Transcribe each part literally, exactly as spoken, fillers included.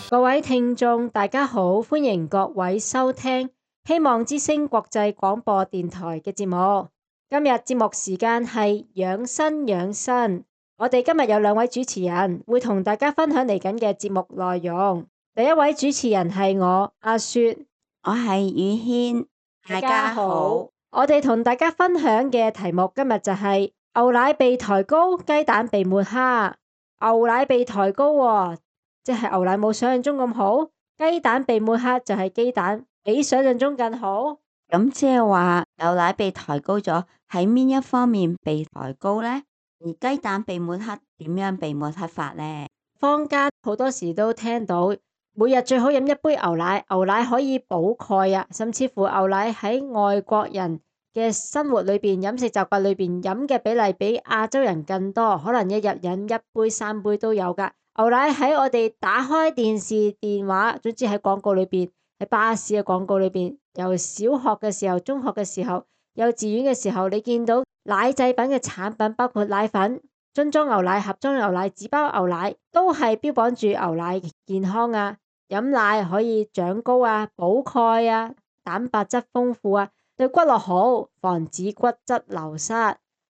各位聽眾，大家好，歡迎各位收聽希望之聲國際廣播電台嘅節目。今日節目時間係養生養生，我哋今日有兩位主持人會同大家分享嚟緊嘅節目內容。第一位主持人係我阿雪，我係宇軒，大家好。我哋同大家分享嘅題目今日就係牛奶被抬高，雞蛋被抹黑。牛奶被抬高喎，即係牛奶冇想象中咁好，雞蛋被抹黑就係雞蛋比想象中更好。咁即係話牛奶被抬高咗，喺邊一方面被抬高呢？而雞蛋被抹黑，點樣被抹黑法呢？坊間好多時都聽到，每日最好飲一杯牛奶，牛奶可以補鈣啊，甚至乎牛奶喺外國人嘅生活裏邊、飲食習慣裏邊飲嘅比例比亞洲人更多，可能一日飲一杯、三杯都有㗎。牛奶喺我哋打開電視、電話，總之喺廣告裏邊，喺巴士嘅廣告裏邊，由小學嘅時候、中學嘅時候、幼稚園嘅時候，你見到奶製品嘅產品，包括奶粉、樽裝牛奶、盒裝牛奶、紙包牛奶，都係標榜住牛奶健康啊，飲奶可以長高啊、補鈣啊、蛋白質豐富啊，對骨骼好，防止骨質流失。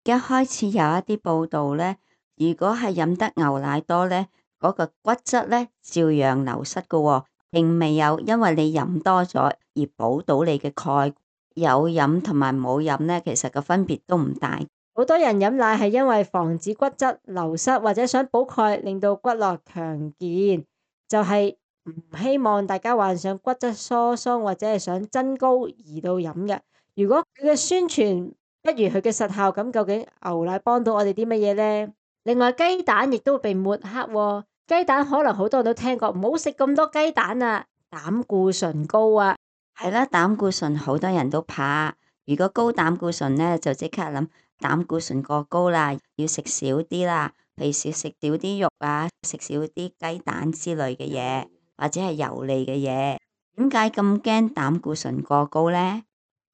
一開始有一啲報道呢，如果係飲得牛奶多呢，嗰個骨質咧照樣流失噶喎，並未有因為你飲多咗而補到你嘅鈣。有飲同埋冇飲咧，其實個分別都唔大。好多人飲奶係因為防止骨質流失或者想補鈣，令到骨骼強健，就係唔希望大家患上骨質疏鬆或者係想增高而到飲嘅。如果佢嘅宣傳不如佢嘅實效，咁究竟牛奶幫到我哋啲乜嘢呢？另外雞蛋亦都會被抹黑喎，雞蛋可能好多人都聽過，唔好食咁多雞蛋啊，膽固醇高啊。係啦，膽固醇好多人都怕，如果高膽固醇咧，就即刻諗膽固醇過高啦，要食少啲啦，譬如少食少啲肉啊，食少啲雞蛋之類嘅嘢，或者係油膩嘅嘢。點解咁驚膽固醇過高呢？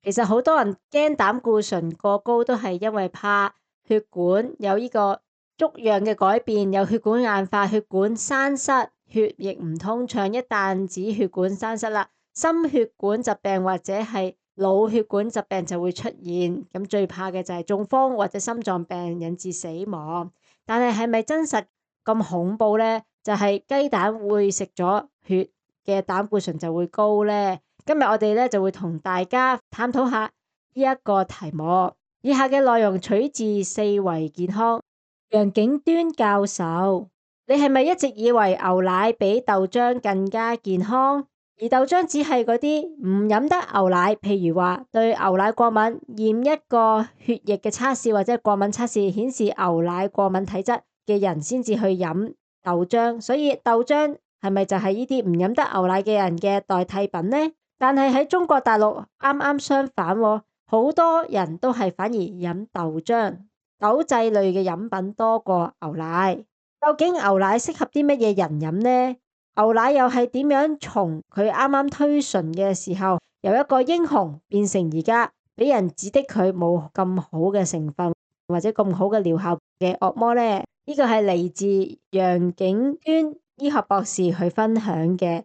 其實好多人驚膽固醇過高都係因為怕血管有呢個粥樣嘅改變，有血管硬化、血管栓塞、血液唔通暢。一旦止血管栓塞啦，心血管疾病或者係腦血管疾病就會出現。咁最怕嘅就係中風或者心臟病引致死亡。但係係咪真實咁恐怖呢？就係雞蛋會食咗血嘅膽固醇就會高呢？今日我哋咧就會同大家探討下呢一個題目。以下嘅內容取自四維健康。楊景端教授，你係咪一直以為牛奶比豆漿更加健康？而豆漿只係嗰啲唔飲得牛奶，譬如話對牛奶過敏，驗一個血液嘅測試或者過敏測試顯示牛奶過敏體質嘅人先至去飲豆漿。所以豆漿係咪就係呢啲唔飲得牛奶嘅人嘅代替品呢？但係喺中國大陸啱啱相反喎，好多人都係反而飲豆漿。豆製類嘅飲品多過牛奶，究竟牛奶適合啲乜嘢人飲呢？牛奶又係點樣從佢啱啱推崇嘅時候，由一個英雄變成而家俾人指的佢冇咁好嘅成分或者咁好嘅療效嘅惡魔呢？呢個係嚟自楊景端醫學博士去分享嘅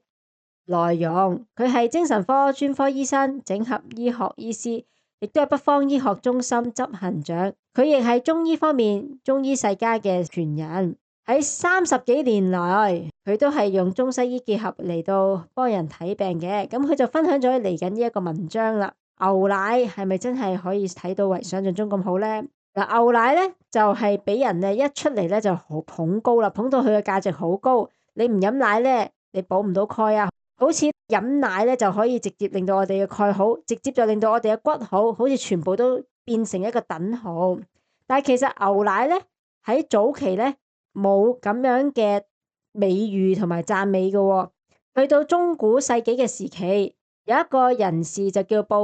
內容。佢係精神科專科醫生、整合醫學醫師，亦都係北方醫學中心執行長。佢亦係中醫方面中醫世家嘅傳人。喺三十幾年來，佢都係用中西醫結合嚟到幫人睇病嘅。咁佢就分享咗嚟緊呢一個文章啦。牛奶係咪真係可以睇到為想象中咁好呢？嗱，牛奶咧就係、是、俾人咧一出嚟咧就好捧高啦，捧到佢嘅價值好高。你唔飲奶咧，你補唔到鈣啊。好似飲奶咧就可以直接令到我哋嘅鈣好，直接就令到我哋嘅骨好，好似全部都變成一個等號。但係其實牛奶咧喺早期咧冇咁樣嘅美譽同埋讚美嘅喎。去到中古世紀嘅時期，有一個人士就叫布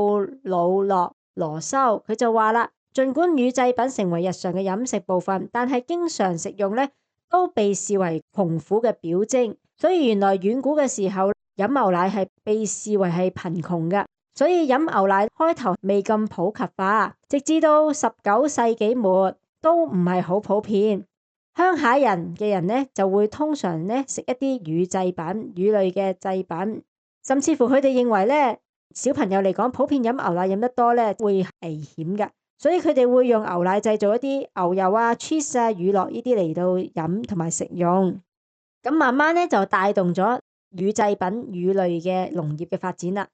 魯諾羅修，佢就話啦，儘管乳製品成為日常嘅飲食部分，但係經常食用咧都被視為窮苦嘅表徵。所以原來遠古嘅時候飲牛奶係被視為係貧窮嘅，所以飲牛奶開頭未咁普及化，直至到十九世紀末都唔係好普遍。鄉下人嘅人咧就會通常咧食一啲乳製品、乳類嘅製品，甚至乎佢哋認為咧小朋友嚟講，普遍飲牛奶飲得多咧會危險嘅，所以佢哋會用牛奶製造一啲牛油啊、cheese 啊、乳酪呢啲嚟到飲同埋食用。咁慢慢咧就帶動咗乳製品、乳類嘅農業嘅發展啦。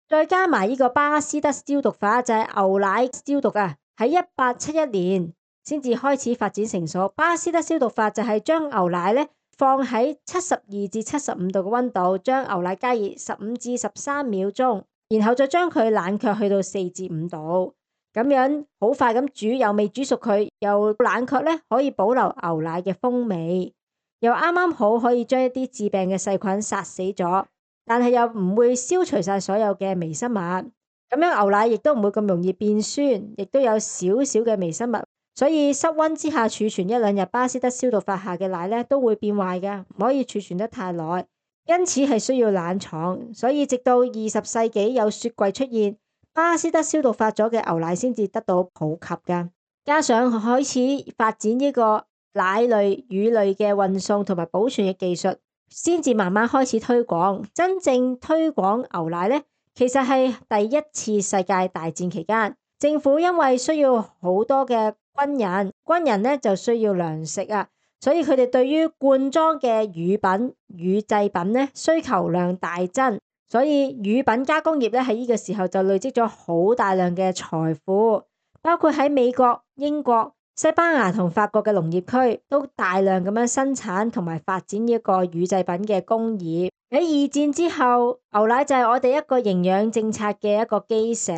再加埋呢個巴斯德消毒法，就係牛奶消毒啊，喺一八七一年先至開始發展成熟。巴斯德消毒法就係將牛奶咧放喺七十二至七十五度嘅溫度，將牛奶加熱十五至十三秒鐘，然後再將佢冷卻去到四至五度，咁樣好快咁煮，又未煮熟佢，又冷卻咧，可以保留牛奶嘅風味，又啱啱好可以將一啲致病嘅細菌殺死咗，但係又唔會消除晒所有嘅微生物。咁樣牛奶亦都唔會咁容易變酸，亦都有少少嘅微生物，所以室溫之下儲存一兩日，巴斯德消毒法下嘅奶咧都會變壞嘅，唔可以儲存得太耐，因此係需要冷藏。所以直到二十世紀有雪櫃出現，巴斯德消毒法咗嘅牛奶先至得到普及噶。加上開始發展呢個奶類、乳類嘅運送同埋保存嘅技術，先至慢慢開始推廣。真正推廣牛奶呢，其實係第一次世界大戰期間，政府因為需要好多嘅軍人，軍人呢就需要糧食啊，所以佢哋對於罐裝嘅乳品、乳製品呢需求量大增，所以乳品加工業咧喺呢個時候就累積咗好大量嘅財富，包括喺美國、英國、西班牙同法國嘅農業區都大量咁樣生產同埋發展呢一個乳製品嘅工業。喺二戰之後，牛奶就係我哋一個營養政策嘅一個基石，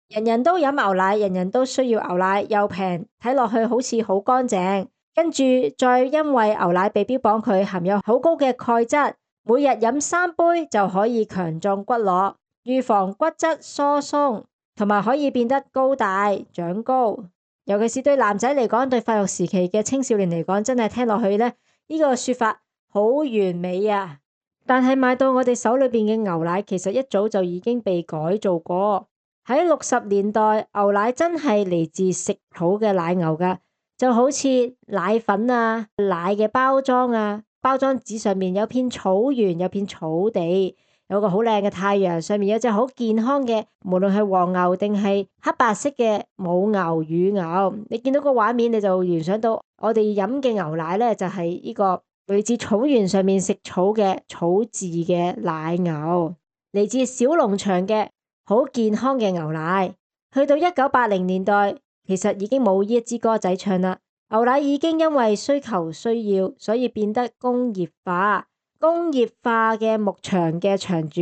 人人都飲牛奶，人人都需要牛奶，又平，睇落去好似好乾淨。跟住再因為牛奶被標榜佢含有好高嘅鈣質，每日飲三杯就可以強壯骨骼，預防骨質疏鬆，同埋可以變得高大長高。尤其是對男仔嚟講，對發育時期嘅青少年嚟講，真係聽落去咧，呢個說法好完美啊！但係買到我哋手裏邊嘅牛奶，其實一早就已經被改造過。喺六十年代，牛奶真係嚟自食草嘅奶牛噶，就好似奶粉啊、奶嘅包裝啊，包裝紙上面有片草原，有片草地。有個好靚嘅太陽，上面有隻好健康嘅，無論係黃牛定係黑白色嘅母牛、乳牛，你見到個畫面你就聯想到我哋飲嘅牛奶咧，就係呢個嚟自草原上面食草嘅草飼嘅奶牛，嚟自小農場嘅好健康嘅牛奶。去到一九八零年代，其實已經冇呢一支歌仔唱啦，牛奶已經因為需求需要，所以變得工業化。工業化嘅牧場嘅場主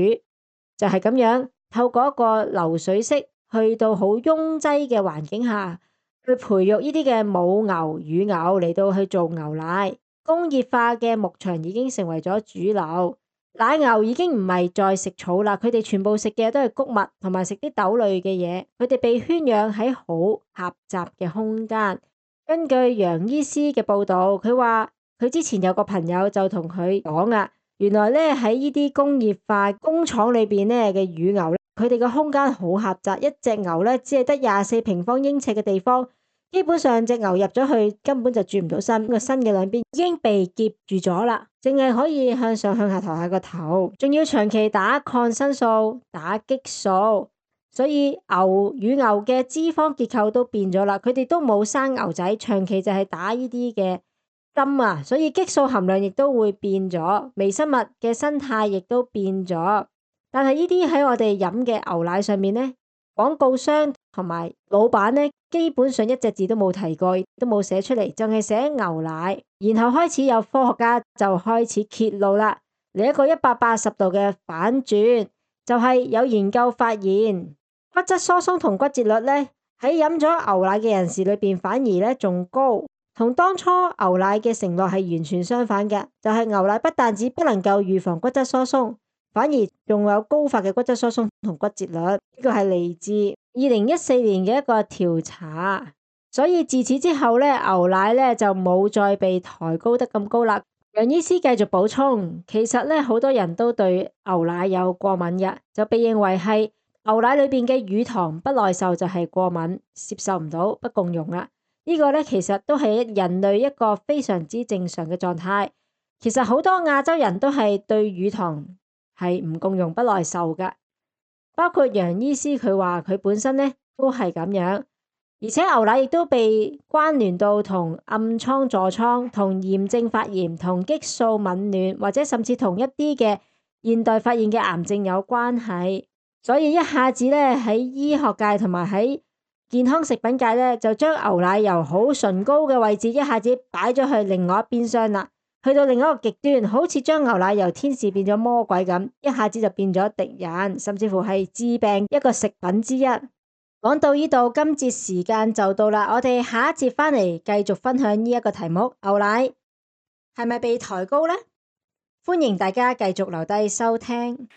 就係咁樣，透過一個流水式去到好擁擠嘅環境下去培育呢啲嘅母牛、乳牛嚟到去做牛奶。工業化嘅牧場已經成為咗主流，奶牛已經唔係再食草啦，佢哋全部食嘅都係穀物同埋食啲豆類嘅嘢，佢哋被圈養喺好狹窄嘅空間。根據楊醫師嘅報道，佢話佢之前有個朋友就同佢講啊，原來咧喺呢啲工業化工廠裏邊咧嘅乳牛咧，佢哋嘅空間好狹窄，一隻牛咧只係得廿四平方英尺嘅地方，基本上隻牛入咗去根本就轉唔到身，個身嘅兩邊已經被夾住咗啦，淨係可以向上向下抬下個頭，仲要長期打抗生素、打激素，所以牛乳牛嘅脂肪結構都變咗啦，佢哋都冇生牛仔，長期就係打呢啲嘅針啊，所以激素含量亦都會變咗，微生物嘅生態亦都變咗。但係呢啲喺我哋飲嘅牛奶上面呢，廣告商同埋老闆呢，基本上一隻字都冇提過，都冇寫出嚟，淨係寫牛奶。然後開始有科學家就開始揭露啦，嚟一個一百八十度嘅反轉，就係有研究發現骨質疏鬆同骨折率呢，喺飲咗牛奶嘅人士裏邊反而呢仲高。同當初牛奶嘅承諾係完全相反嘅，就係牛奶不但止不能夠預防骨質疏鬆，反而仲有高發嘅骨質疏鬆同骨折率。呢個係嚟自二零一四年嘅一個調查，所以自此之後咧，牛奶咧就冇再被抬高得咁高啦。楊醫師繼續補充，其實咧好多人都對牛奶有過敏嘅，就被認為係牛奶裏邊嘅乳糖不耐受就係過敏，接受唔到，不共用啦。呢個咧其實都係人類一個非常之正常嘅狀態。其實好多亞洲人都係對乳糖係唔共用不耐受㗎，包括楊醫師佢話佢本身咧都係咁樣。而且牛奶亦都被關聯到同暗瘡、痤瘡、同炎症發炎、同激素紊亂，或者甚至同一啲嘅現代發現嘅癌症有關係。所以一下子咧喺醫學界同埋喺健康食品界咧，就將牛奶由好崇高嘅位置一下子擺咗去另外一邊廂啦，去到另一個極端，好似將牛奶由天使變咗魔鬼咁，一下子就變咗敵人，甚至乎係致病一個食品之一。講到呢度，今節時間就到啦，我哋下一節返嚟繼續分享呢一個題目：牛奶係咪被抬高呢？歡迎大家繼續留低收聽。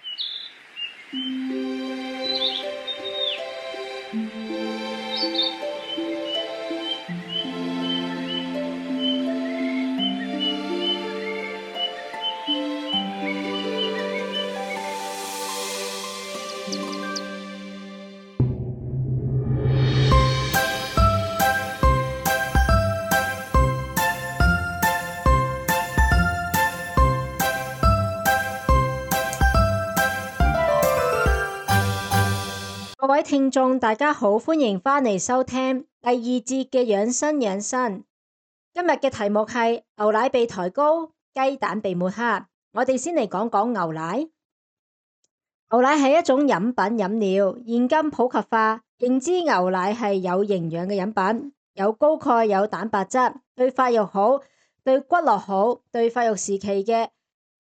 各位聽眾，大家好，歡迎返嚟收聽第二節嘅養生養生。今日嘅題目係牛奶被抬高，雞蛋被抹黑。我哋先嚟講講牛奶。牛奶係一種飲品飲料，現今普及化，認知牛奶係有營養嘅飲品，有高鈣，有蛋白質，對發育好，對骨骼好，對發育時期嘅，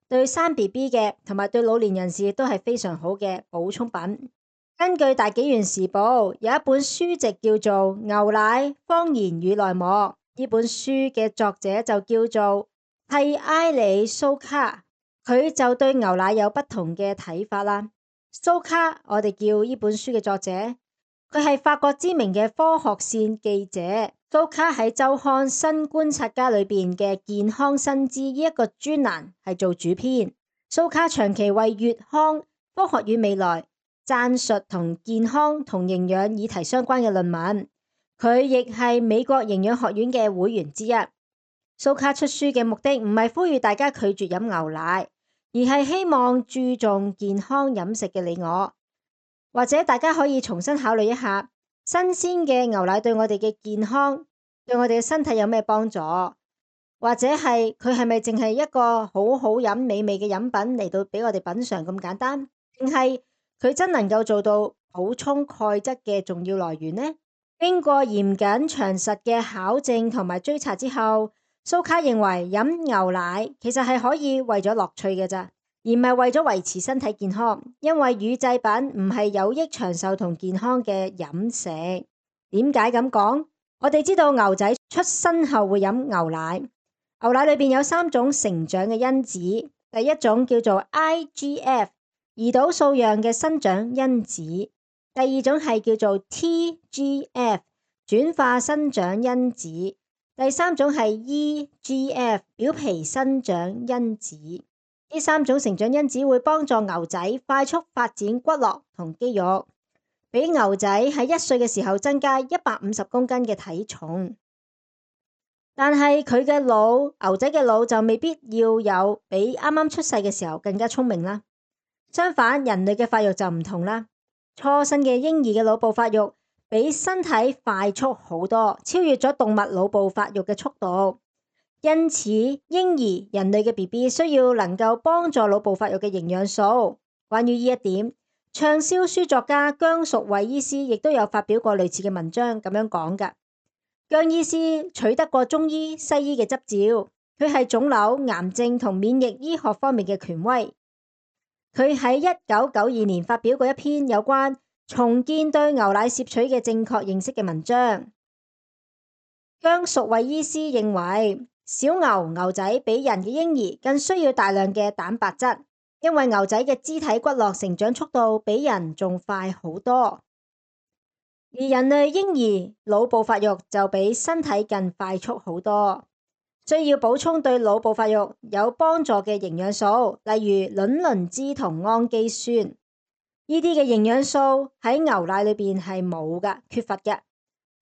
對生 B B 嘅，同埋對老年人士都係非常好嘅補充品。根據大紀元時報有一本書籍叫做《牛奶、謊言與內幕》，呢本書嘅作者就叫做蒂埃里蘇卡，佢就對牛奶有不同嘅睇法啦。蘇卡，我哋叫呢本書嘅作者，佢係法國知名嘅科學線記者。蘇卡喺周刊《新觀察家》裏邊嘅健康新知呢一個專欄係做主編。蘇卡長期為月刊《科學與未來》撰述同健康同營養議題相關嘅論文，佢亦係美國營養學院嘅會員之一。蘇卡出書嘅目的唔係呼籲大家拒絕飲牛奶，而係希望注重健康飲食嘅你我，或者大家可以重新考慮一下，新鮮嘅牛奶對我哋嘅健康、對我哋嘅身體有咩幫助，或者係佢係咪淨係一個好好飲美味嘅飲品嚟到俾我哋品嘗咁簡單，定係佢真能夠做到補充鈣質嘅重要來源呢？經過嚴謹詳實嘅考證同埋追查之後，蘇卡認為飲牛奶其實係可以為咗樂趣嘅咋，而唔係為咗維持身體健康。因為乳製品唔係有益長壽同健康嘅飲食。點解咁講？我哋知道牛仔出生後會飲牛奶，牛奶裏邊有三種成長嘅因子，第一種叫做 I G F。胰島素樣嘅生長因子，第二種係叫做 T G F 轉化生長因子，第三種係 E G F 表皮生長因子。呢三種成長因子會幫助牛仔快速發展骨骼同肌肉，俾牛仔喺一歲嘅時候增加一百五十公斤嘅體重。但係佢嘅腦，牛仔嘅腦就未必要有比啱啱出世嘅時候更加聰明啦。相反，人類嘅發育就唔同啦。初生嘅嬰兒嘅腦部發育比身體快速好多，超越咗動物腦部發育嘅速度。因此，嬰兒人類嘅 B B 需要能夠幫助腦部發育嘅營養素。關於呢一點，暢銷書作家姜淑慧醫師亦都有發表過類似嘅文章，咁樣講㗎。姜醫師取得過中醫、西醫嘅執照，佢係腫瘤、癌症同免疫醫學方面嘅權威。佢喺一九九二年發表過一篇有關重建對牛奶攝取嘅正確認識嘅文章。姜淑慧醫師認為，小牛牛仔比人嘅嬰兒更需要大量嘅蛋白質，因為牛仔嘅肢體骨骼成長速度比人仲快好多，而人類嬰兒腦部發育就比身體更快速好多，需要補充對腦部發育有幫助嘅營養素，例如卵磷脂同氨基酸。呢啲嘅營養素喺牛奶裏邊係冇㗎，缺乏嘅。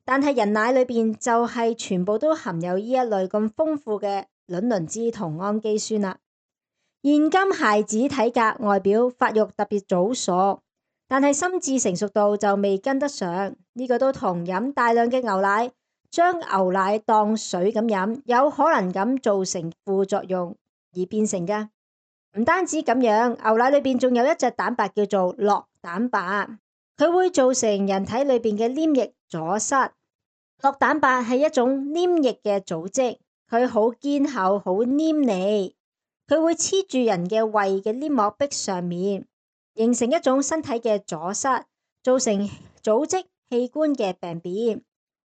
但係人奶裏邊就係全部都含有呢一類咁豐富嘅卵磷脂同氨基酸啦。現今孩子體格外表發育特別早熟，但係心智成熟度就未跟得上。呢個都同飲大量嘅牛奶，將牛奶當水咁飲，有可能咁造成副作用而變成㗎。唔單止咁樣，牛奶裏邊仲有一隻蛋白叫做酪蛋白，佢會造成人體裏邊嘅黏液阻塞。酪蛋白係一種黏液嘅組織，佢好堅厚，好黏膩，佢會黐住人嘅胃嘅黏膜壁上面，形成一種身體嘅阻塞，造成組織器官嘅病變。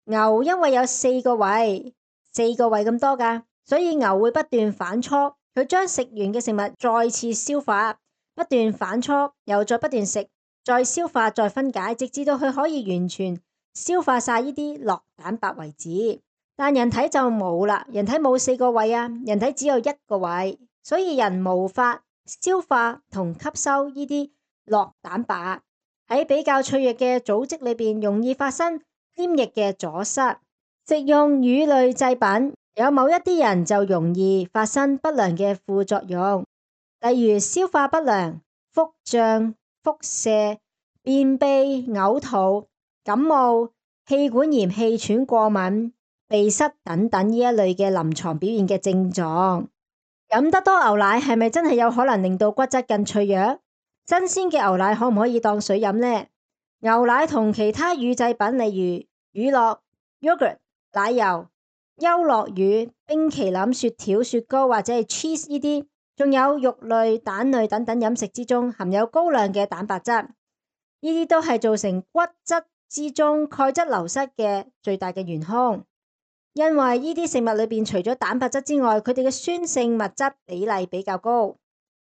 牛因為有四個胃，四個胃咁多㗎，所以牛會不斷反芻，佢將食完嘅食物再次消化，不斷反芻，又再不斷食，再消化，再分解，直至到佢可以完全消化晒呢啲酪蛋白為止。但人體就冇啦，人體冇四個胃啊，人體只有一個胃，所以人無法消化同吸收呢啲酪蛋白。喺比較脆弱嘅組織裏邊，容易發生黏液嘅阻塞。食用乳類製品，有某一啲人就容易發生不良嘅副作用，例如消化不良、腹脹、腹瀉、便秘、嘔吐、感冒、氣管炎、氣喘、過敏、鼻塞等等呢一類嘅臨床表現嘅症狀。飲得多牛奶係咪真係有可能令到骨質更脆弱？新鮮嘅牛奶可唔可以當水飲呢？牛奶同其他乳製品，例如乳酪、yogurt、奶油、優酪乳、冰淇淋、雪條、雪糕或者係 cheese 呢啲，仲有肉類、蛋類等等飲食之中含有高量嘅蛋白質，呢啲都係造成骨質之中鈣質流失嘅最大嘅元兇。因為呢啲食物裏邊除咗蛋白質之外，佢哋嘅酸性物質比例比較高。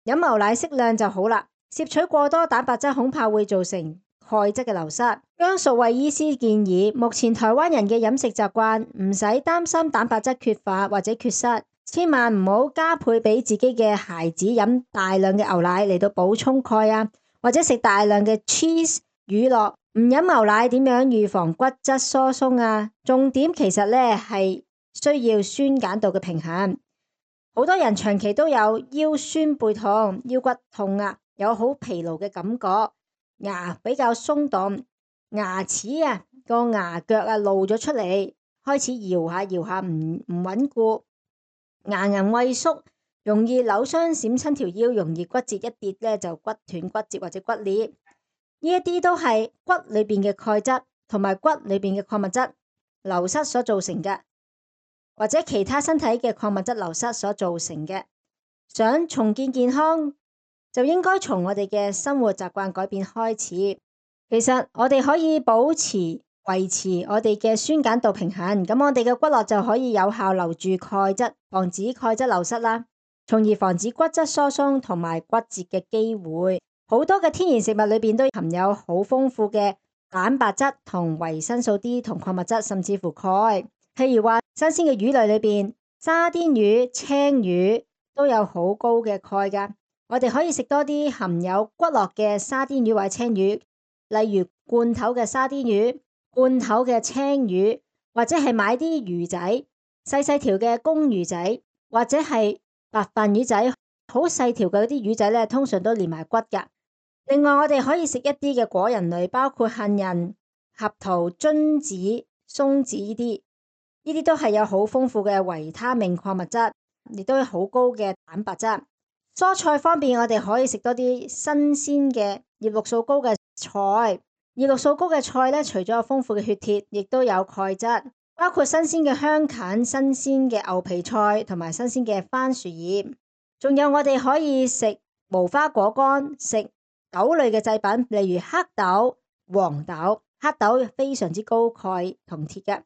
飲牛奶適量就好啦，攝取過多蛋白質恐怕會造成鈣質嘅流失。姜淑慧醫師建議，目前台灣人嘅飲食習慣唔使擔心蛋白質缺乏或者缺失，千萬唔好加倍俾自己嘅孩子飲大量嘅牛奶嚟到補充鈣啊，或者食大量嘅 cheese 乳酪。唔飲牛奶點樣預防骨質疏鬆啊？重點其實咧係需要酸鹼度嘅平衡。好多人長期都有腰酸背痛、腰骨痛啊，有好疲勞嘅感覺，牙比較鬆動，牙齒啊個牙腳啊露咗出嚟，開始搖下搖下唔唔穩固，牙齦萎縮，容易扭傷閃親條腰，容易骨折一跌咧就骨斷骨折或者骨裂。呢一啲都係骨裏邊嘅鈣質同埋骨裏邊嘅礦物質流失所造成嘅，或者其他身體嘅礦物質流失所造成嘅。想重建健康，就應該從我哋嘅生活習慣改變開始。其實我哋可以保持維持我哋嘅酸鹼度平衡，咁我哋嘅骨骼就可以有效留住鈣質，防止鈣質流失啦，從而防止骨質疏鬆同埋骨折嘅機會。好多嘅天然食物裏邊都含有好豐富嘅蛋白質同維生素 D 同礦物質，甚至乎鈣。譬如話新鮮嘅魚類裏邊，沙甸魚、青魚都有好高嘅鈣噶。我哋可以食多啲含有骨骼嘅沙甸魚或者青魚，例如罐頭嘅沙甸魚、罐頭嘅青魚，或者係買啲魚仔細細條嘅公魚仔，或者係白飯魚仔，好細條嘅嗰啲魚仔咧，通常都連埋骨噶。另外，我哋可以食一啲嘅果仁類，包括杏仁、合桃、榛子、松子呢啲，呢啲都係有好豐富嘅維他命礦物質，亦都有好高嘅蛋白質。蔬菜方面，我哋可以食多啲新鮮嘅葉綠素高嘅菜。葉綠素高嘅菜咧，除咗有豐富嘅血鐵，亦都有鈣質，包括新鮮嘅香芹、新鮮嘅牛皮菜同埋新鮮嘅番薯葉。仲有我哋可以食無花果乾，食豆類嘅製品，例如黑豆、黃豆。黑豆非常之高鈣同鐵嘅，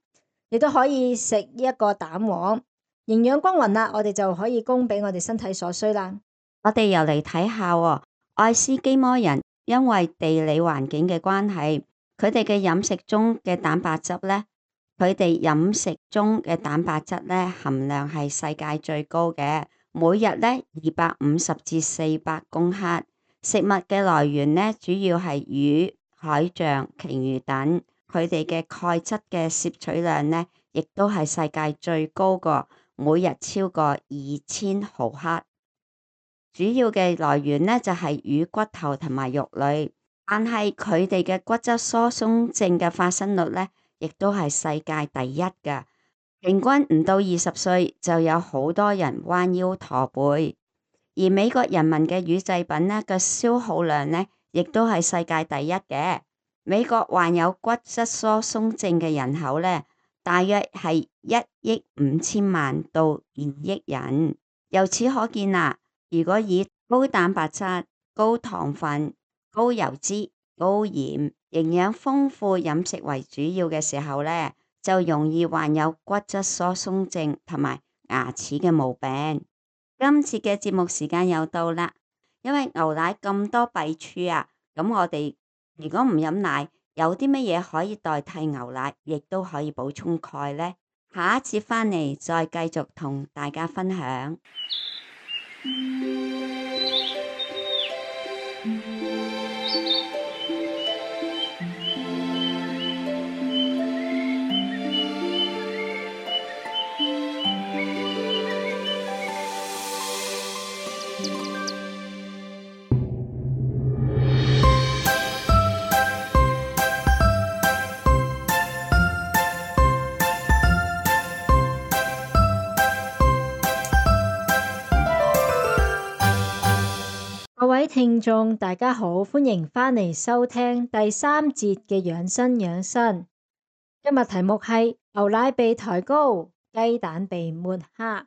亦都可以食呢一個蛋黃，營養均勻啦，我哋就可以供俾我哋身體所需啦。我哋又嚟睇下喎，愛斯基摩人因為地理環境嘅關係，佢哋嘅飲食中嘅蛋白質呢，佢哋飲食中嘅蛋白質呢含量係世界最高嘅，每日呢二百五十至四百公克。食物嘅來源呢，主要係魚、海象、鯨魚等。佢哋嘅鈣質嘅攝取量呢，亦都係世界最高個，每日超過二千毫克。主要嘅來源呢，就係魚骨頭同埋肉類，但係佢哋嘅骨質疏鬆症嘅發生率呢，亦都係世界第一㗎。平均唔到二十歲就有好多人彎腰駝背，而美國人民嘅乳製品呢嘅消耗量呢，亦都係世界第一嘅。美國患有骨質疏鬆症嘅人口呢，大約係一億五千萬到二億人。由此可見啦，如果以高蛋白質、高糖分、高油脂、高鹽、營養豐富飲食為主要嘅時候呢，就容易患有骨質疏鬆症同埋牙齒嘅毛病。今次嘅節目時間又到啦，因為牛奶咁多弊處啊，咁我哋如果唔飲奶，有啲乜嘢可以代替牛奶，亦都可以補充鈣呢？下一節返嚟再繼續同大家分享。各位聽眾大家好，歡迎返嚟收聽第三節嘅養生養生。今日題目係牛奶被抬高，雞蛋被抹黑。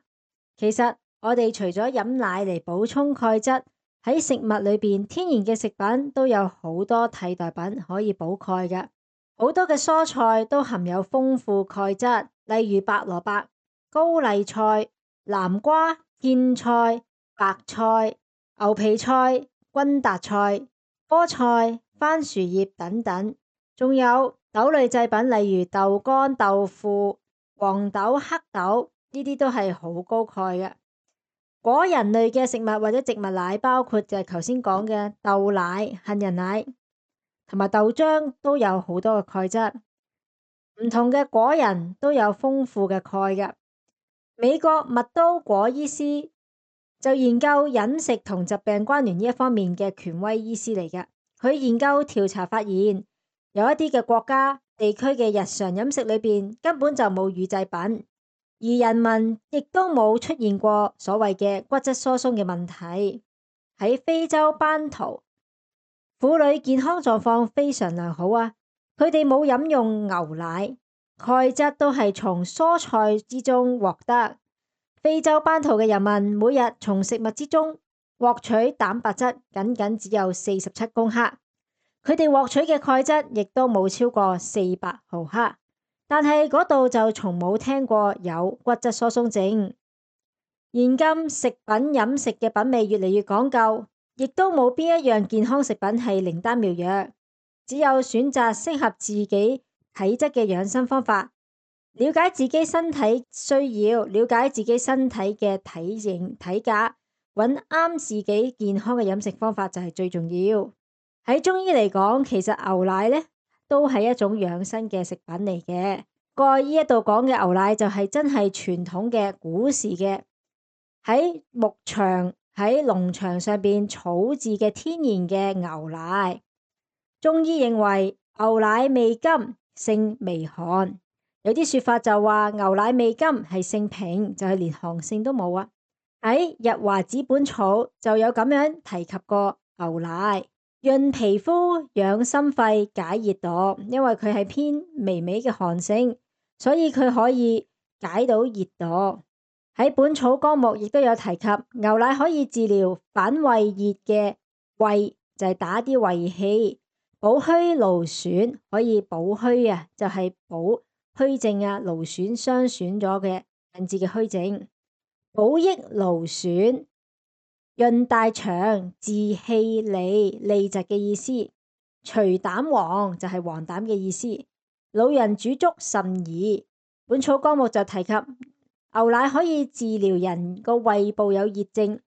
其實我哋除咗飲奶嚟補充鈣質，喺食物裏邊天然嘅食品都有好多替代品可以補鈣嘅。好多嘅蔬菜都含有豐富鈣質，例如白蘿蔔、高麗菜、南瓜、莧菜、白菜、牛皮菜、君達菜、菠菜、番薯葉等等，仲有豆類製品，例如豆乾、豆腐、黃豆、黑豆，呢啲都係好高鈣嘅。果仁類嘅食物或者植物奶，包括就係頭先講嘅豆奶、杏仁奶同埋豆漿，都有好多嘅鈣質。唔同嘅果仁都有豐富嘅鈣嘅。美國麥都果醫師就研究飲食同疾病關聯呢一方面嘅權威醫師嚟嘅。佢研究調查發現，有一啲嘅國家地區嘅日常飲食裏邊根本就冇乳製品，而人民亦都冇出現過所謂嘅骨質疏鬆嘅問題。喺非洲班圖，婦女健康狀況非常良好啊！佢哋冇飲用牛奶，鈣質都係從蔬菜之中獲得。非洲班圖嘅人民每日從食物之中獲取蛋白質僅僅只有四十七公克，佢哋獲取嘅鈣質亦都冇超過四百毫克，但係嗰度就從冇聽過有骨質疏鬆症。現今食品飲食嘅品味越嚟越講究，亦都冇邊一樣健康食品係靈丹妙藥，只有選擇適合自己體質嘅養生方法。了解自己身體需要，了解自己身體嘅體型體格，揾啱自己健康嘅飲食方法就係最重要。喺中醫嚟講，其實牛奶呢都係一種養生嘅食品嚟嘅。過去呢一度講嘅牛奶就係真係傳統嘅古時嘅喺牧場喺農場上邊草自嘅天然嘅牛奶。中醫認為牛奶味甘，性微寒。有啲說法就話牛奶味甘係性平，就係連寒性都冇啊。喺《日華子本草》就有咁樣提及過牛奶，潤皮膚、養心肺、解熱毒，因為佢係偏微微嘅寒性，所以佢可以解到熱毒。喺《本草綱目》亦都有提及牛奶可以治療反胃熱嘅胃，就係打啲胃氣，補虛勞損，可以補虛啊，就係補虛症啊、勞損、傷損咗嘅引致嘅虛症。補益勞損，潤大腸，治氣痢，痢疾嘅意思。除膽黃就係黃疸嘅意思。老人煮粥甚宜。本草綱目就提及牛奶可以治療人個胃部有熱症，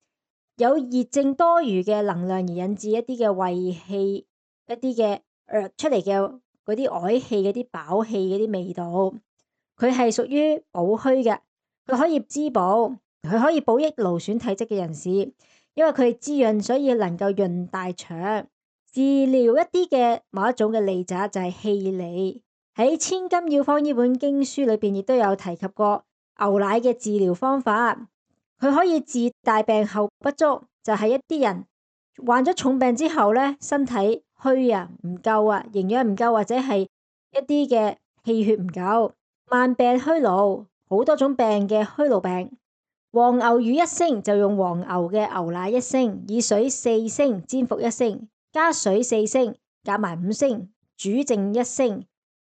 有熱症多餘嘅能量而引致一啲嘅胃氣，一啲嘅呃出嚟嘅嗰啲嗳氣、嗰啲飽氣、嗰啲味道。佢係屬於補虛嘅，佢可以滋補，佢可以補益勞損體質嘅人士，因為佢係滋潤，所以能夠潤大腸。治療一啲嘅某一種嘅痢疾就係氣痢。喺《千金要方》呢本經書裏邊亦都有提及過牛奶嘅治療方法。佢可以治大病後不足，就係、是、一啲人患咗重病之後咧，身體虛啊，唔夠啊，營養唔夠，或者係一啲嘅氣血唔夠。慢病虛勞，好多種病嘅虛勞病。黃牛乳一升就用黃牛嘅牛奶一升，以水四升煎服一升，加水四升，夾埋五升，煮剩一升。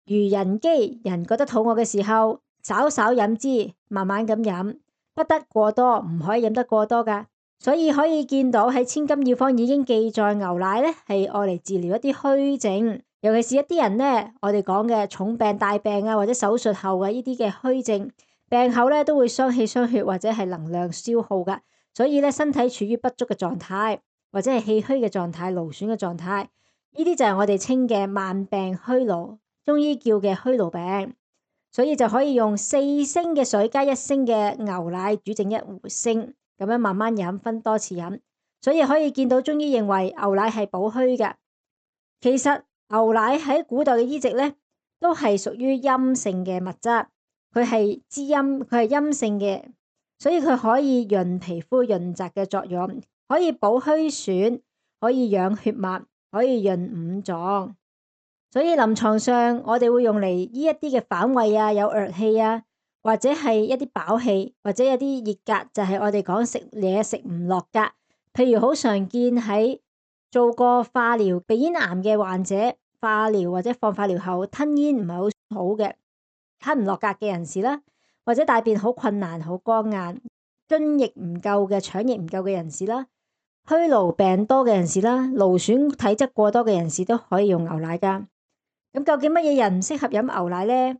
如人飢，人覺得肚餓嘅時候，稍稍飲之，慢慢咁飲，不得過多，唔可以飲得過多噶。所以可以見到喺《千金要方》已經記載牛奶咧係愛嚟治療一啲虛症。尤其是一啲人呢，我哋講嘅重病、大病啊，或者手術後嘅呢啲嘅虛症，病後咧都會傷氣傷血或者係能量消耗噶，所以咧身體處於不足嘅狀態，或者係氣虛嘅狀態、勞損嘅狀態，呢啲就係我哋稱嘅慢病虛勞，中醫叫嘅虛勞病。所以就可以用四升嘅水加一升嘅牛奶煮剩一壺升，咁樣慢慢飲，分多次飲。所以可以見到中醫認為牛奶係補虛嘅。其實牛奶喺古代嘅醫籍咧，都係屬於陰性嘅物質，佢係滋陰，佢係陰性嘅，所以佢可以潤皮膚、潤澤嘅作用，可以補虛損，可以養血脈，可以潤五臟。所以臨床上我哋會用嚟醫一啲嘅反胃啊、有惡氣啊，或者係一啲飽氣，或者有啲熱格，就係、是、我哋講食嘢食唔落格。譬如好常見喺做過化療鼻咽癌嘅患者，化療或者放化療後吞咽唔係好好嘅，吞唔落格嘅人士啦，或者大便好困難、好乾硬、津液唔夠嘅、腸液唔夠嘅人士啦，虛勞病多嘅人士啦，勞損體質過多嘅人士都可以用牛奶噶。咁究竟乜嘢人唔適合飲牛奶呢？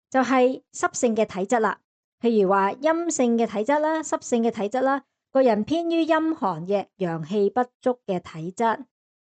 就係、是、濕性嘅體質啦，譬如話陰性嘅體質啦、濕性嘅體質啦，個人偏於陰寒嘅陽氣不足嘅體質。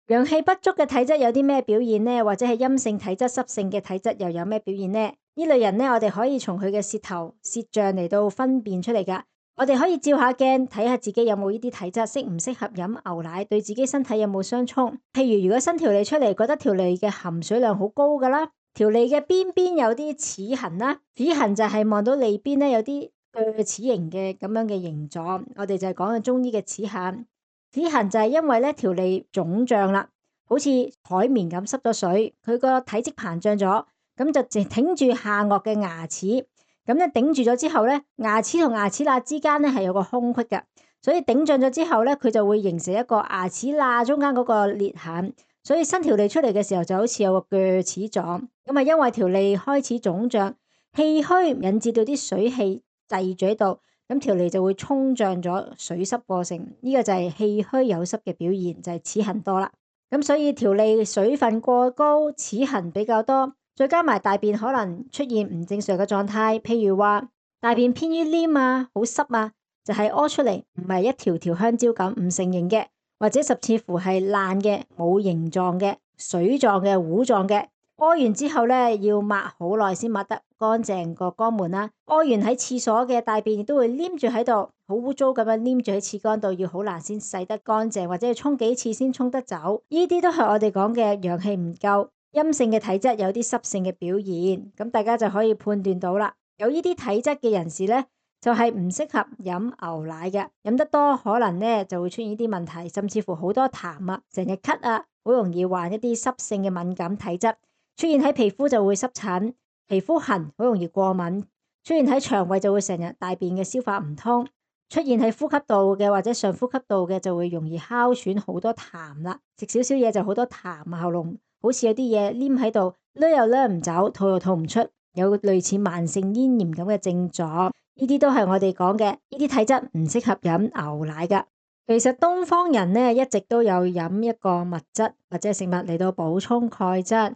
陽氣不足嘅體質有啲咩表現呢？或者係陰性體質、濕性嘅體質又有咩表現呢？呢類人呢，我哋可以從佢嘅舌頭、舌象嚟到分辨出嚟噶。我哋可以照下鏡睇下自己有冇呢啲體質，適唔適合飲牛奶，對自己身體有冇相沖。譬如如果伸條脷出嚟，覺得條脷嘅含水量好高噶啦，條脷嘅邊邊有啲齒痕啦，齒痕就係望到脷邊咧有啲鋸齒形嘅咁樣嘅形狀，我哋就係講嘅中醫嘅齒痕。齒痕就係因為咧條脷腫脹啦，好似海綿咁濕咗水，佢個體積膨脹咗，咁就淨挺住下顎嘅牙齒。咁咧頂住咗之後咧，牙齒同牙齒罅之間咧係有個空隙嘅，所以頂脹咗之後咧，佢就會形成一個牙齒罅中間嗰個裂痕，所以伸條脷出嚟嘅時候就好似有個鋸齒狀。咁啊，因為條脷開始腫脹，氣虛引致到啲水氣滯住喺度，咁條脷就會沖脹咗，水濕過剩。呢、這個就係氣虛有濕嘅表現，就係、是、齒痕多啦。咁所以條脷水分過高，齒痕比較多。再加埋大便可能出現唔正常嘅狀態，譬如話大便偏於黏啊、好濕啊，就係、是、屙出嚟唔係一條條香蕉咁唔成形嘅，或者甚至乎係爛嘅、冇形狀嘅、水狀嘅、糊狀嘅。屙完之後咧，要抹好耐先抹得乾淨個肛門啦。屙完喺廁所嘅大便亦都會黏住喺度，好污糟咁樣黏住喺廁缸度，要好難先洗得乾淨，或者要沖幾次先沖得走。呢啲都係我哋講嘅陽氣唔夠。陰性嘅體質有啲濕性嘅表現，咁大家就可以判斷到啦。有呢啲體質嘅人士咧，就係唔適合飲牛奶嘅，飲得多可能咧就會出現呢啲問題，甚至乎好多痰啊，成日咳啊，好容易患一啲濕性嘅敏感體質，出現喺皮膚就會濕疹、皮膚痕，好容易過敏，出現喺腸胃就會成日大便嘅消化唔通，出現喺呼吸道嘅或者上呼吸道嘅就會容易哮喘，好多痰啦，食少少嘢就好多痰，喉嚨好似有啲嘢黏喺度，攣又攣唔走，吐又吐唔出，有類似慢性咽炎咁嘅症狀，呢啲都係我哋講嘅，呢啲體質唔適合飲牛奶噶。其實東方人呢，一直都有飲一個物質或者食物嚟到補充鈣質，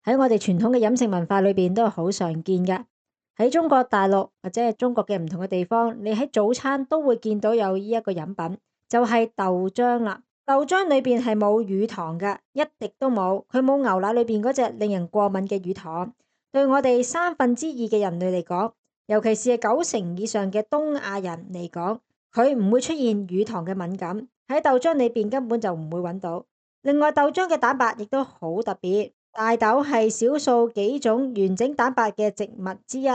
喺我哋傳統嘅飲食文化裏邊都係好常見嘅。喺中國大陸或者係中國嘅唔同嘅地方，你喺早餐都會見到有呢一個飲品，就係豆漿啦。豆漿裏邊係冇乳糖嘅，一滴都冇，佢冇牛奶裏邊嗰隻令人過敏嘅乳糖。對我哋三分之二嘅人類嚟講，尤其是係九成以上嘅東亞人嚟講，佢唔會出現乳糖嘅敏感，喺豆漿裏邊根本就唔會揾到。另外，豆漿嘅蛋白亦都好特別，大豆係少數幾種完整蛋白嘅植物之一，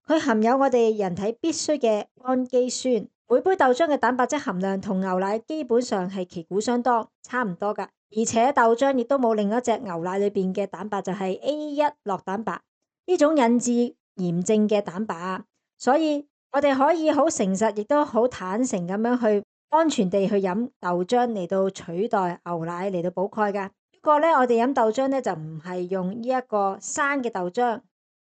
佢含有我哋人體必須嘅氨基酸。每杯豆漿嘅蛋白質含量同牛奶基本上係旗鼓相當，差唔多噶。而且豆漿亦都冇另一隻牛奶裏邊嘅蛋白，就係 A 一 酪蛋白呢種引致炎症嘅蛋白。所以我哋可以好誠實，亦都好坦誠咁樣去安全地去飲豆漿嚟到取代牛奶嚟到補鈣噶。不過呢，我哋飲豆漿呢，就唔係用呢一個生嘅豆漿，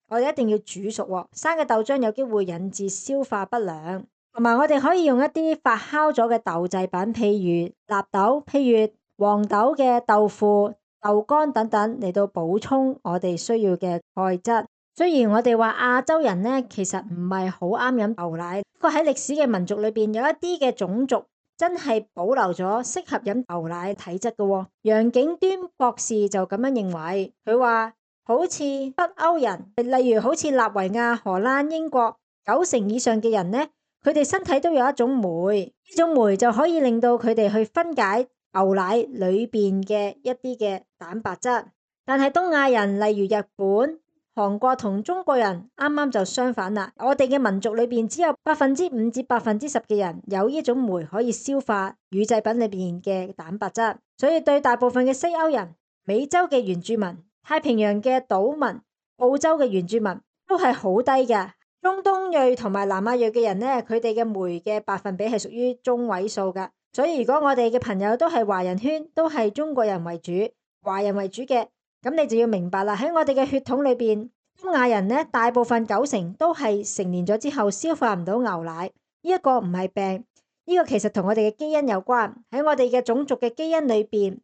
我哋一定要煮熟喎。生嘅豆漿有機會引致消化不良。同埋我哋可以用一啲發酵咗嘅豆製品，譬如納豆、譬如黃豆嘅豆腐、豆乾等等嚟到補充我哋需要嘅鈣質。雖然我哋話亞洲人呢，其實唔係好啱飲牛奶，不過喺歷史嘅民族裏邊有一啲嘅種族真係保留咗適合飲牛奶體質嘅喎。楊景端博士就咁樣認為，佢話好似北歐人，例如好似納維亞、荷蘭、英國，九成以上嘅人呢，佢哋身體都有一種酶，呢種酶就可以令到佢哋去分解牛奶裏邊嘅一啲嘅蛋白質。但係東亞人，例如日本、韓國同中國人，啱啱就相反啦。我哋嘅民族裏邊只有百分之五至百分之十嘅人有呢種酶可以消化乳製品裏邊嘅蛋白質，所以對大部分嘅西歐人、美洲嘅原住民、太平洋嘅島民、澳洲嘅原住民都係好低嘅。中東裔同埋南亞裔嘅人呢，佢哋嘅酶嘅百分比係屬於中位數噶。所以如果我哋嘅朋友都係華人圈，都係中國人為主、華人為主嘅，咁你就要明白啦。喺我哋嘅血統裏邊，東亞人呢，大部分九成都係成年咗之後消化唔到牛奶。呢一個唔係病，呢個其實同我哋嘅基因有關。喺我哋嘅種族嘅基因裏邊，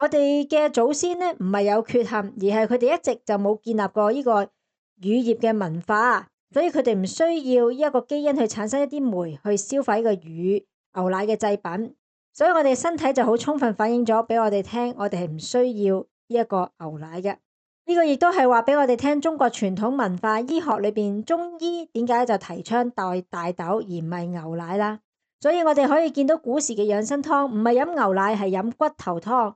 我哋嘅祖先呢，唔係有缺陷，而係佢哋一直就冇建立過呢個乳業嘅文化。所以佢哋唔需要呢一個基因去產生一啲酶去消化呢個乳牛奶嘅製品，所以我哋身體就好充分反映咗俾我哋聽，我哋係唔需要呢一個牛奶嘅。呢個亦都係話俾我哋聽，中國傳統文化醫學裏邊中醫點解就提倡代大豆而唔係牛奶啦。所以我哋可以見到古時嘅養生湯唔係飲牛奶，係飲骨頭湯。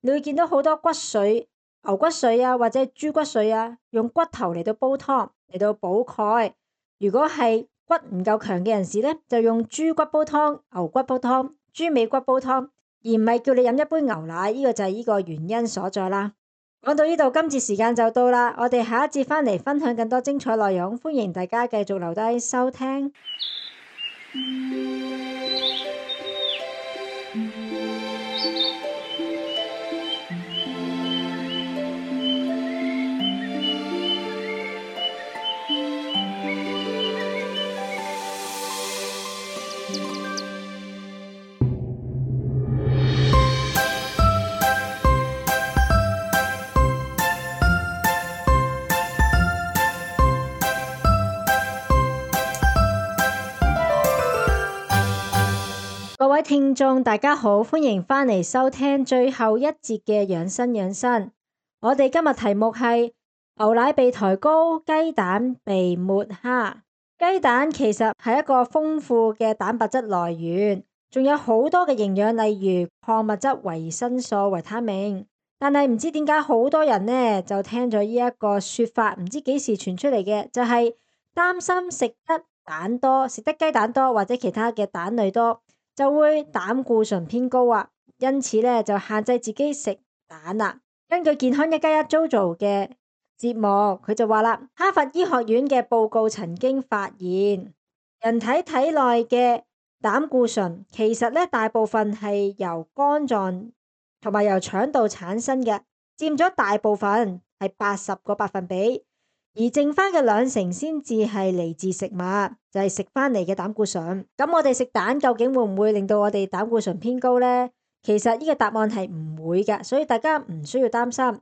你會見到好多骨髓、牛骨髓啊，或者豬骨髓啊，用骨頭嚟到煲湯嚟到補鈣。如果係骨唔夠強嘅人士呢，就用豬骨煲湯、牛骨煲湯、豬尾骨煲湯，而唔係叫你飲一杯牛奶。呢個就係呢個原因所在啦。講到呢度，今次時間就到啦，我哋下一節翻嚟分享更多精彩內容，歡迎大家繼續留低收聽。各位聽眾大家好，歡迎返嚟收聽最後一節嘅養生養生。我哋今日題目係牛奶被抬高，雞蛋被抹黑。雞蛋其實係一個豐富嘅蛋白質來源，仲有好多嘅營養，例如礦物質、維生素、維他命。但係唔知點解好多人呢就聽咗呢一個說法，唔知幾時傳出嚟嘅，就係擔心食得蛋多，食得雞蛋多或者其他嘅蛋類多，就會膽固醇偏高啊，因此咧就限制自己食蛋啦。根據健康一加一 JoJo 嘅節目，佢就話啦，哈佛醫學院嘅報告曾經發現，人體體內嘅膽固醇其實咧大部分係由肝臟同埋由腸道產生嘅，佔咗大部分係八十個百分比。而剩翻嘅兩成先至係嚟自食物，就係食翻嚟嘅膽固醇。咁我哋食蛋究竟會唔會令到我哋膽固醇偏高呢？其實呢個答案係唔會㗎，所以大家唔需要擔心。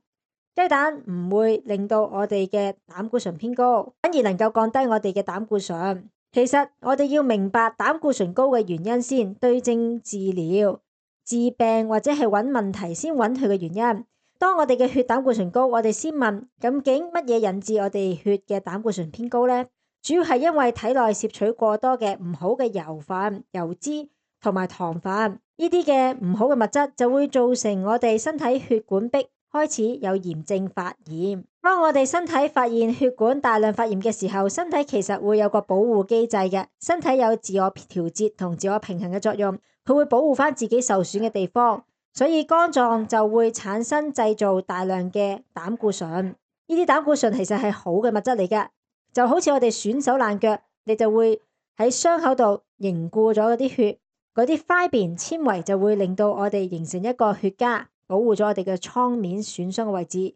雞蛋唔會令到我哋嘅膽固醇偏高，反而能夠降低我哋嘅膽固醇。其實我哋要明白膽固醇高嘅原因先，對症治療、治病或者係揾問題先揾佢嘅原因。當我哋嘅血膽固醇高，我哋先問究竟乜嘢引致我哋血嘅膽固醇偏高呢？主要係因為體內攝取過多嘅唔好嘅油分、油脂同埋糖分，呢啲嘅唔好嘅物質就會造成我哋身體血管壁開始有炎症發炎。當我哋身體發現血管大量發炎嘅時候，身體其實會有個保護機制嘅，身體有自我調節同自我平衡嘅作用，佢會保護翻自己受損嘅地方。所以肝臟就會產生製造大量嘅膽固醇，呢啲膽固醇其實係好嘅物質嚟㗎，就好似我哋損手爛腳，你就會喺傷口度凝固咗嗰啲血，嗰啲 fibrin 纖維就會令到我哋形成一個血痂，保護咗我哋嘅瘡面損傷嘅位置。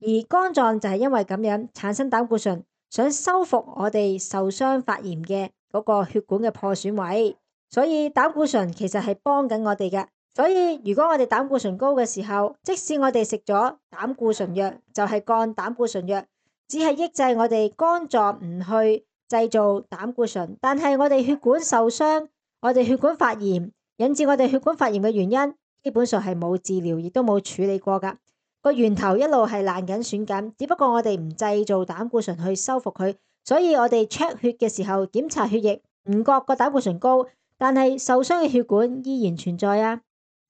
而肝臟就係因為咁樣產生膽固醇，想修復我哋受傷發炎嘅嗰個血管嘅破損位，所以膽固醇其實係幫緊我哋嘅。所以如果我哋膽固醇高嘅時候，即使我哋食咗膽固醇藥，就係降膽固醇藥，只係抑制我哋肝臟唔去製造膽固醇，但係我哋血管受傷，我哋血管發炎，引致我哋血管發炎嘅原因，基本上係冇治療，亦都冇處理過㗎。個源頭一路係爛緊損緊，只不過我哋唔製造膽固醇去修復佢，所以我哋 check 血嘅時候檢查血液，唔覺個膽固醇高，但係受傷嘅血管依然存在啊。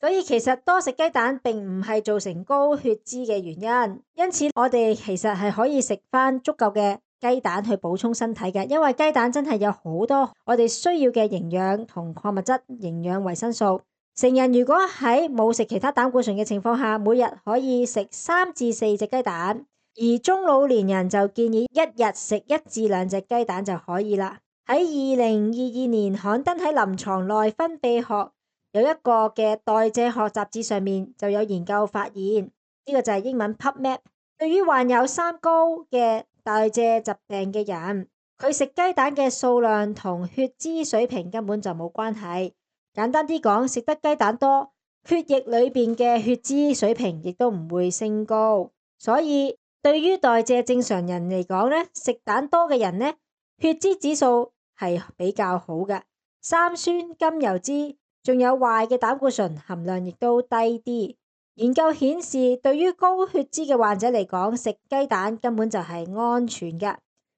所以其實多食雞蛋並唔係造成高血脂嘅原因，因此我哋其實係可以食翻足夠嘅雞蛋去補充身體嘅，因為雞蛋真係有好多我哋需要嘅營養同礦物質、營養維生素。成人如果喺冇食其他膽固醇嘅情況下，每日可以食三至四隻雞蛋，而中老年人就建議一日食一至兩隻雞蛋就可以啦。喺二零二二年刊登喺臨床內分泌學有一個嘅代謝學雜誌上面就有研究發現，呢個就係英文 PubMed。對於患有三高嘅代謝疾病嘅人，佢食雞蛋嘅數量同血脂水平根本就冇關係。簡單啲講，食得雞蛋多，血液裏邊嘅血脂水平亦都唔會升高。所以對於代謝正常人嚟講呢，食蛋多嘅人呢，血脂指數係比較好嘅，三酸甘油脂仲有壞嘅膽固醇含量亦都低啲。研究顯示，對於高血脂嘅患者嚟講，食雞蛋根本就係安全嘅；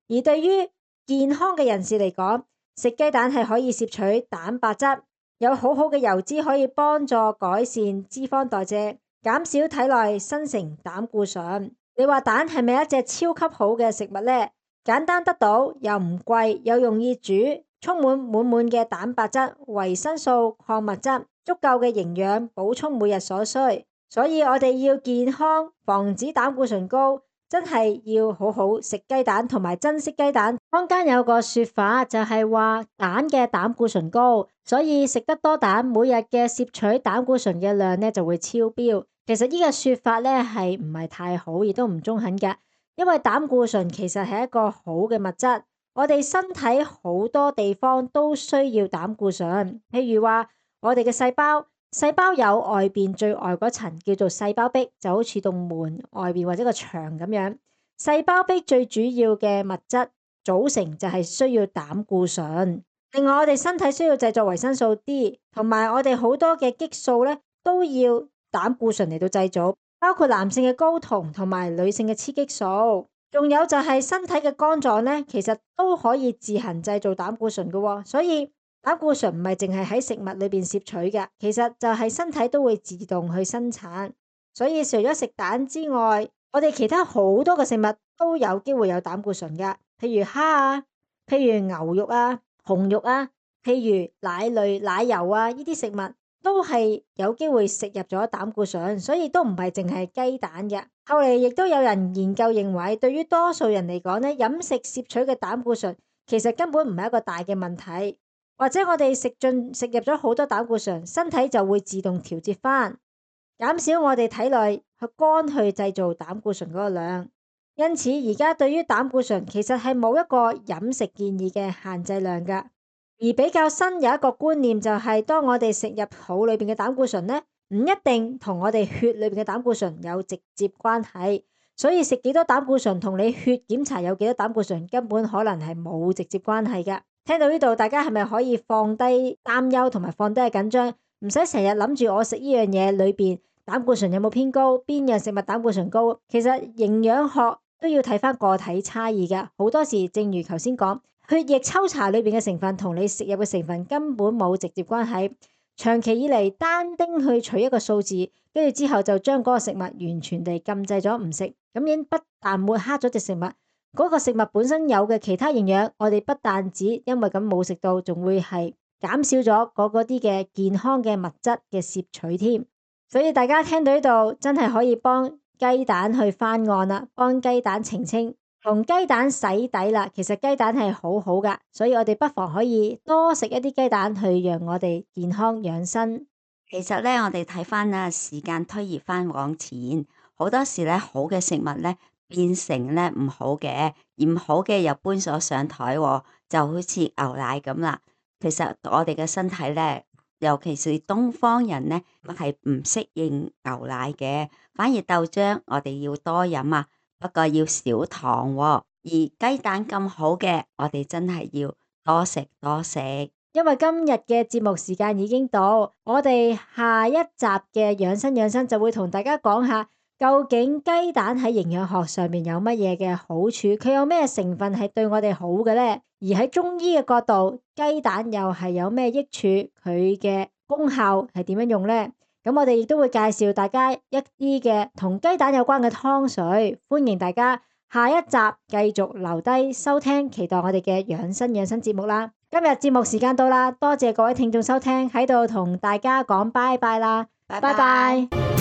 而對於健康嘅人士嚟講，食雞蛋係可以攝取蛋白質，有好好嘅油脂可以幫助改善脂肪代謝，減少體內生成膽固醇。你話蛋係咪一隻超級好嘅食物呢？簡單得到，又唔貴，又容易煮，充滿滿滿嘅蛋白質、維生素、礦物質，足夠嘅營養補充每日所需。所以我哋要健康，防止膽固醇高，真係要好好食雞蛋同埋珍惜雞蛋。坊間有個說法就係話蛋嘅膽固醇高，所以食得多蛋，每日嘅攝取膽固醇嘅量呢就會超標。其實呢個說法呢係唔係太好，亦都唔中肯嘅，因為膽固醇其實係一個好嘅物質，我哋身體好多地方都需要膽固醇，譬如話我哋嘅細胞。細胞有外邊最外嗰層叫做細胞壁，就好似棟門外邊或者個牆咁樣。細胞壁最主要嘅物質組成就係需要膽固醇。另外我哋身體需要製作維生素 D， 同埋我哋好多嘅激素咧都要膽固醇嚟到製造，包括男性嘅睾酮同埋女性嘅雌激素。仲有就係身體嘅肝臟咧，其實都可以自行製造膽固醇嘅，所以膽固醇唔係淨係喺食物裏邊攝取嘅，其實就係身體都會自動去生產。所以除咗食蛋之外，我哋其他好多嘅食物都有機會有膽固醇㗎，譬如蝦啊，譬如牛肉啊、紅肉啊，譬如奶類、奶油啊，呢啲食物都係有機會食入咗膽固醇，所以都唔係淨係雞蛋嘅。後嚟亦都有人研究認為，對於多數人嚟講呢，飲食攝取嘅膽固醇其實根本唔係一個大嘅問題。或者我哋食進食入咗好多膽固醇，身體就會自動調節翻，減少我哋體內去肝去製造膽固醇嗰個量。因此而家對於膽固醇其實係冇一個飲食建議嘅限制量㗎。而比較新有一個觀念就係，當我哋食入肚裏邊嘅膽固醇呢，唔一定同我哋血裏邊嘅膽固醇有直接關係。所以食幾多膽固醇同你血檢查有幾多膽固醇根本可能係冇直接關係㗎。聽到呢度，大家係咪可以放低擔憂同埋放低緊張，唔使成日諗住我食呢樣嘢裏邊膽固醇有冇偏高，邊樣食物膽固醇高？其實營養學都要睇返個體差異㗎。好多時正如頭先講，血液抽查裏邊嘅成分同你食入嘅成分根本冇直接關係。長期以嚟單丁去取一個數字，跟住之後就將嗰個食物完全地禁制咗唔食，咁樣不但抹黑咗隻食物，嗰個食物本身有嘅其他營養，我哋不但止因為咁冇食到，仲會係減少咗嗰嗰啲嘅健康嘅物質嘅攝取添。所以大家聽到呢度真係可以幫雞蛋去翻案啦，幫雞蛋澄清，同雞蛋洗底啦。其實雞蛋係好好㗎，所以我哋不妨可以多食一啲雞蛋去讓我哋健康養生。其實咧，我哋睇翻啦，時間推移翻往前，好多時咧好嘅食物咧變成咧唔好嘅，而唔好嘅又搬咗上台，就好似牛奶咁啦。其實我哋嘅身體咧，尤其是東方人咧，係唔適應牛奶嘅，反而豆漿我哋要多飲啊，不過要少糖喎。而雞蛋咁好嘅，我哋真係要多食多食。因為今日嘅節目時間已經到，我哋下一集嘅養生養生就會同大家講下，究竟雞蛋喺營養學上面有乜嘢嘅好處，佢有咩成分係對我哋好嘅呢？而喺中醫嘅角度，雞蛋又係有咩益處，佢嘅功效係點樣用呢？咁我哋亦都會介紹大家一啲嘅同雞蛋有關嘅湯水，歡迎大家下一集繼續留低收聽，期待我哋嘅養生養生節目啦。今日節目時間到啦，多謝各位聽眾收聽，喺度同大家講拜拜啦，拜拜。